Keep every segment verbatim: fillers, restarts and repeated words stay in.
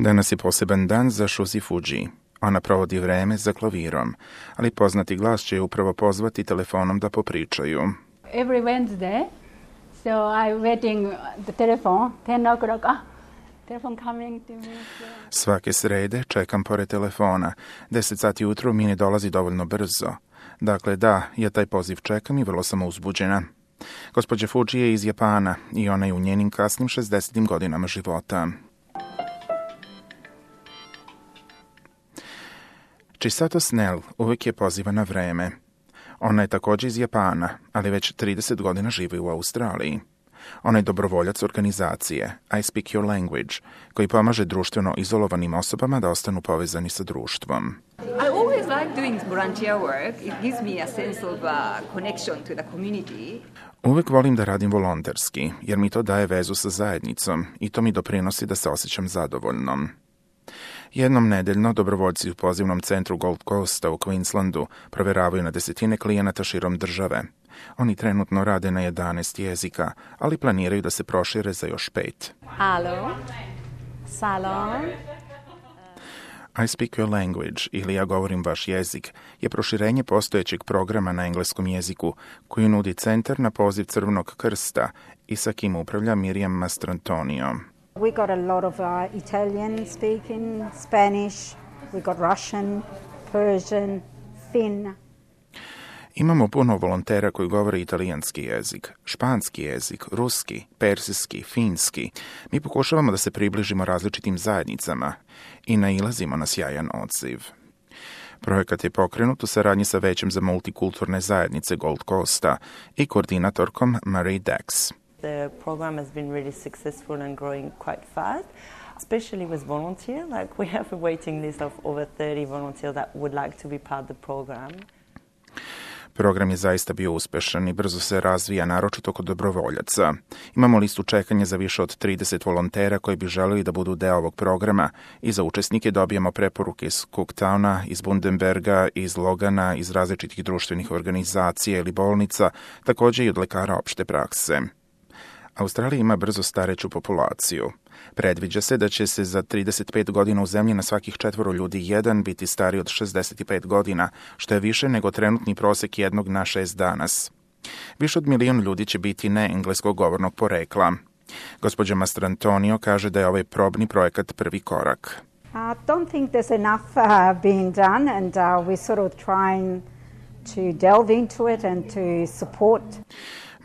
Danas je poseban dan za Shuzi Fuji. Ona provodi vreme za klavirom, ali poznati glas će je upravo pozvati telefonom da popričaju. Every Wednesday, so I'm waiting the telephone, ten o'clock, ah, telephone coming to me. Svake srede čekam pored telefona. Deset sati ujutro mi ne dolazi dovoljno brzo. Dakle, da, ja taj poziv čekam i vrlo sam uzbuđena. Gospođa Fuji je iz Japana i ona je u njenim kasnim šezdesetim godinama života. Chisato Snell uvijek je poziva na vreme. Ona je također iz Japana, ali već trideset godina živi u Australiji. Ona je dobrovoljac organizacije I Speak Your Language, koji pomaže društveno izolovanim osobama da ostanu povezani sa društvom. I always like doing volunteer work. It gives me a sense of uh, connection to the community. Uvijek volim da radim volonterski, jer mi to daje vezu sa zajednicom i to mi doprinosi da se osjećam zadovoljnom. Jednom nedeljno dobrovoljci u pozivnom centru Gold Coasta u Queenslandu provjeravaju na desetine klijenata širom države. Oni trenutno rade na jedanaest jezika, ali planiraju da se prošire za još pet. Hello, salon. I Speak Your Language, ili Ja govorim vaš jezik, je proširenje postojećeg programa na engleskom jeziku koji nudi centar na poziv Crvenog krsta i sa kim upravlja Miriam Mastrantonio. We got a lot of uh, Italian speaking, Spanish, we got Russian, Persian, Finn. Imamo puno volontera koji govore italijanski jezik, španski jezik, ruski, persijski, finski. Mi pokušavamo da se približimo različitim zajednicama i nailazimo na sjajan odziv. Projekat je pokrenut u saradnji sa Većem za multikulturne zajednice Gold Coasta i koordinatorkom Marie Dax. The program has been really successful and growing quite fast, especially with volunteers. Like we have a waiting list of over thirty volunteers that would like to be part of the program. Program je zaista bio uspešan i brzo se razvija, naročito kod dobrovoljaca. Imamo listu čekanja za više od trideset volontera koji bi želeli da budu deo ovog programa i za učesnike dobijamo preporuke iz Cooktowna, iz Bundenberga, iz Logana, iz različitih društvenih organizacija ili bolnica, također i od lekara opšte prakse. Australija ima brzo stareću populaciju. Predviđa se da će se za trideset pet godina u zemlji na svakih četvoro ljudi jedan biti stariji od šezdeset pet godina, što je više nego trenutni prosek jednog na šest danas. Više od milion ljudi će biti neengleskog govornog porekla. Gospođa Mastrantonio kaže da je ovaj probni projekat prvi korak. I uh, don't think there's enough uh, being done and uh, we're sort of trying to delve into it and to support.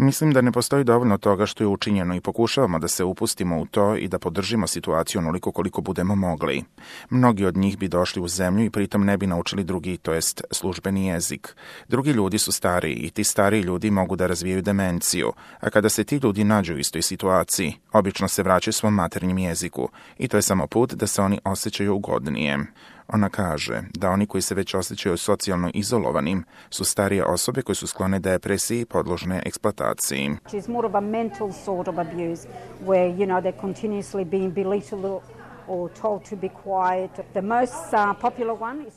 Mislim da ne postoji dovoljno toga što je učinjeno i pokušavamo da se upustimo u to i da podržimo situaciju onoliko koliko budemo mogli. Mnogi od njih bi došli u zemlju i pritom ne bi naučili drugi, to jest službeni jezik. Drugi ljudi su stariji i ti stariji ljudi mogu da razvijaju demenciju, a kada se ti ljudi nađu u istoj situaciji, obično se vraćaju svom maternjem jeziku i to je samo put da se oni osjećaju ugodnije. Ona kaže da oni koji se već osjećaju socijalno izolovanim su starije osobe koje su sklone depresiji i podložne eksploataciji. It's more of a mental sort of abuse where, you know, they're continuously being belittled or told to be quiet. The most uh, popular one is...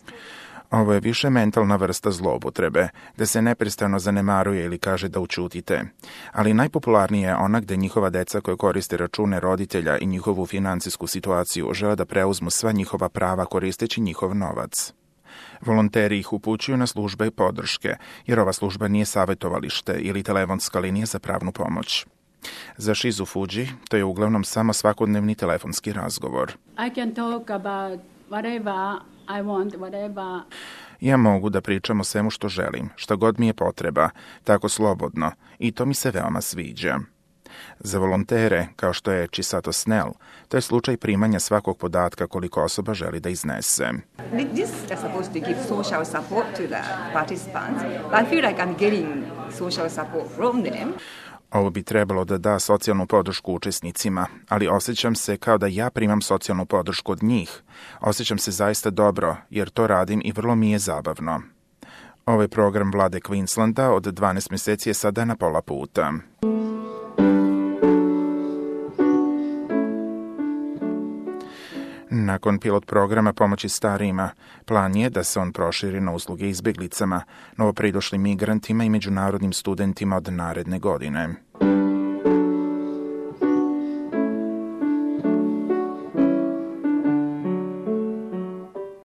Ovo je više mentalna vrsta zloupotrebe, da se neprestano zanemaruje ili kaže da učutite. Ali najpopularnija je ona gde njihova deca koje koriste račune roditelja i njihovu financijsku situaciju žele da preuzmu sva njihova prava koristeći njihov novac. Volonteri ih upućuju na službe i podrške, jer ova služba nije savjetovalište ili telefonska linija za pravnu pomoć. Za Shizu Fuji to je uglavnom samo svakodnevni telefonski razgovor. I can talk about whatever I want, whatever. Ja mogu da pričam o svemu što želim, šta god mi je potreba, tako slobodno, i to mi se veoma sviđa. Za volontere, kao što je Chisato Snell, to je slučaj primanja svakog podatka koliko osoba želi da iznese. This is supposed to give social support to the participants. I feel like I'm getting social support from them. Ovo bi trebalo da da socijalnu podršku učesnicima, ali osjećam se kao da ja primam socijalnu podršku od njih. Osjećam se zaista dobro, jer to radim i vrlo mi je zabavno. Ovaj program vlade Queenslanda od dvanaest mjeseci je sada na pola puta. Nakon pilot programa pomoći starijima, plan je da se on proširi na usluge izbjeglicama, novopridošlim migrantima i međunarodnim studentima od naredne godine.